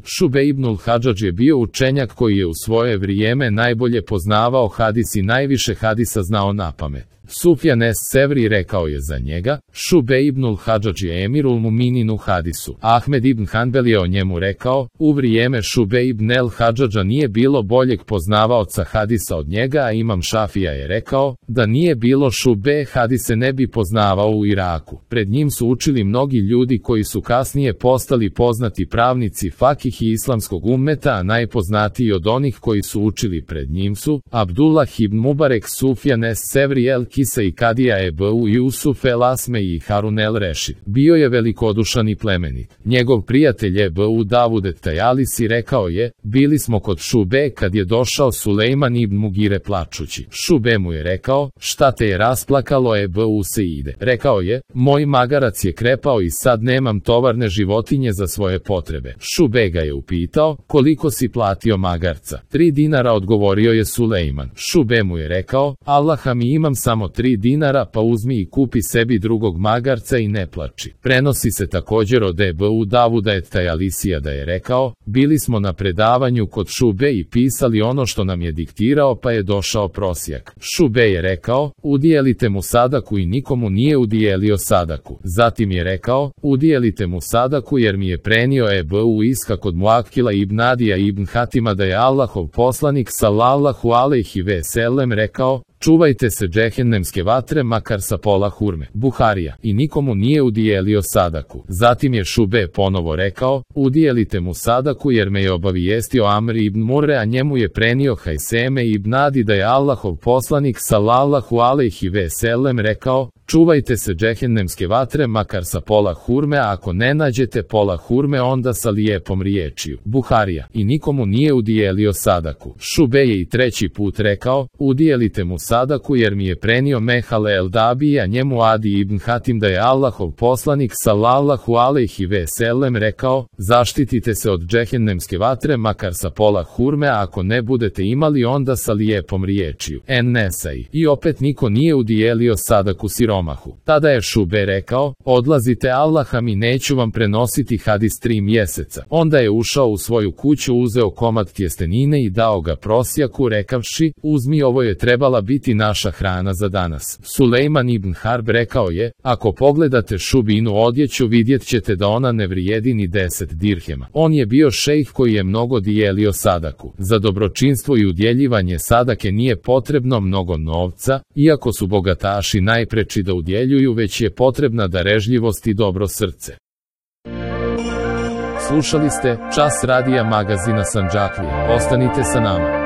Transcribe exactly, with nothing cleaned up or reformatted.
Šube ibnul Hadžadž je bio učenjak koji je u svoje vrijeme najbolje poznavao hadis i najviše hadisa znao napamet. Sufjan es Sevri rekao je za njega, Šube ibnul Hadžadž je emirul muminin u hadisu. Ahmed ibn Hanbel je o njemu rekao, u vrijeme Šube ibn el Hadžadža nije bilo boljeg poznavaoca hadisa od njega, a Imam Šafija je rekao, da nije bilo Šube hadise ne bi poznavao u Iraku. Pred njim su učili mnogi ljudi koji su kasnije postali poznati pravnici fakih i islamskog ummeta, a najpoznatiji od onih koji su učili pred njim su Abdullah ibn Mubarek, Sufjan es Sevri, el Kisa i Kadija Ebu Jusuf el Asme i Harun el Rešid. Bio je velikodušan i plemenit. Njegov prijatelj Ebu Davud et Tajalisi rekao je, bili smo kod Šube kad je došao Sulejman ibn Mugire plačući. Šube mu je rekao, šta te je rasplakalo? Ebu Seide rekao je, moj magarac je krepao i sad nemam tovarne životinje za svoje potrebe. Šube ga je upitao, koliko si platio magarca? Tri dinara, odgovorio je Sulejman. Šube mu je rekao, Allaha mi, imam samo tri dinara, pa uzmi i kupi sebi drugog magarca i ne plači. Prenosi se također od Ebu Davuda et Tajalisija da je rekao, bili smo na predavanju kod Šube i pisali ono što nam je diktirao, pa je došao prosjak. Šube je rekao, udijelite mu sadaku, i nikomu nije udijelio sadaku. Zatim je rekao, udijelite mu sadaku jer mi je prenio Ebu Ishak od Muakila ibn Adija ibn Hatima da je Allahov poslanik sallallahu alejhi ve sellem rekao, čuvajte se džehennemske vatre makar sa pola hurme. Buharija. I nikomu nije udijelio sadaku. Zatim je Šube ponovo rekao, udijelite mu sadaku jer me je obavijestio Amr ibn Murre, a njemu je prenio Hajseme ibn Adi da je Allahov poslanik sallallahu alejhi ve sellem rekao, čuvajte se džehennemske vatre makar sa pola hurme, a ako ne nađete pola hurme onda sa lijepom riječju. Buharija. I nikomu nije udijelio sadaku. Šube je i treći put rekao, udijelite mu sadaku jer mi je prenio Mehale el Dabi, a njemu Adi ibn Hatim da je Allahov poslanik sallallahu alejhi ve sellem rekao, zaštitite se od džehennemske vatre makar sa pola hurme, a ako ne budete imali onda sa lijepom riječju. En Nesai. I opet niko nije udijelio sadaku siromahu. Tada je Šube rekao, odlazite, Allaha mi, neću vam prenositi hadis tri mjeseca. Onda je ušao u svoju kuću, uzeo komad tjestenine i dao ga prosjaku rekavši, uzmi, ovo je trebala biti naša hrana za danas. Sulejman ibn Harb rekao je, ako pogledate Šubinu odjeću vidjet ćete da ona ne vrijedi ni deset dirhema. On je bio šejh koji je mnogo dijelio sadaku. Za dobročinstvo i udjeljivanje sadake nije potrebno mnogo novca, iako su bogataši najpreči da udjeljuju, već je potrebna darežljivost i dobro srce. Slušali ste Čas radija magazina Sandžaklije. Ostanite sa nama.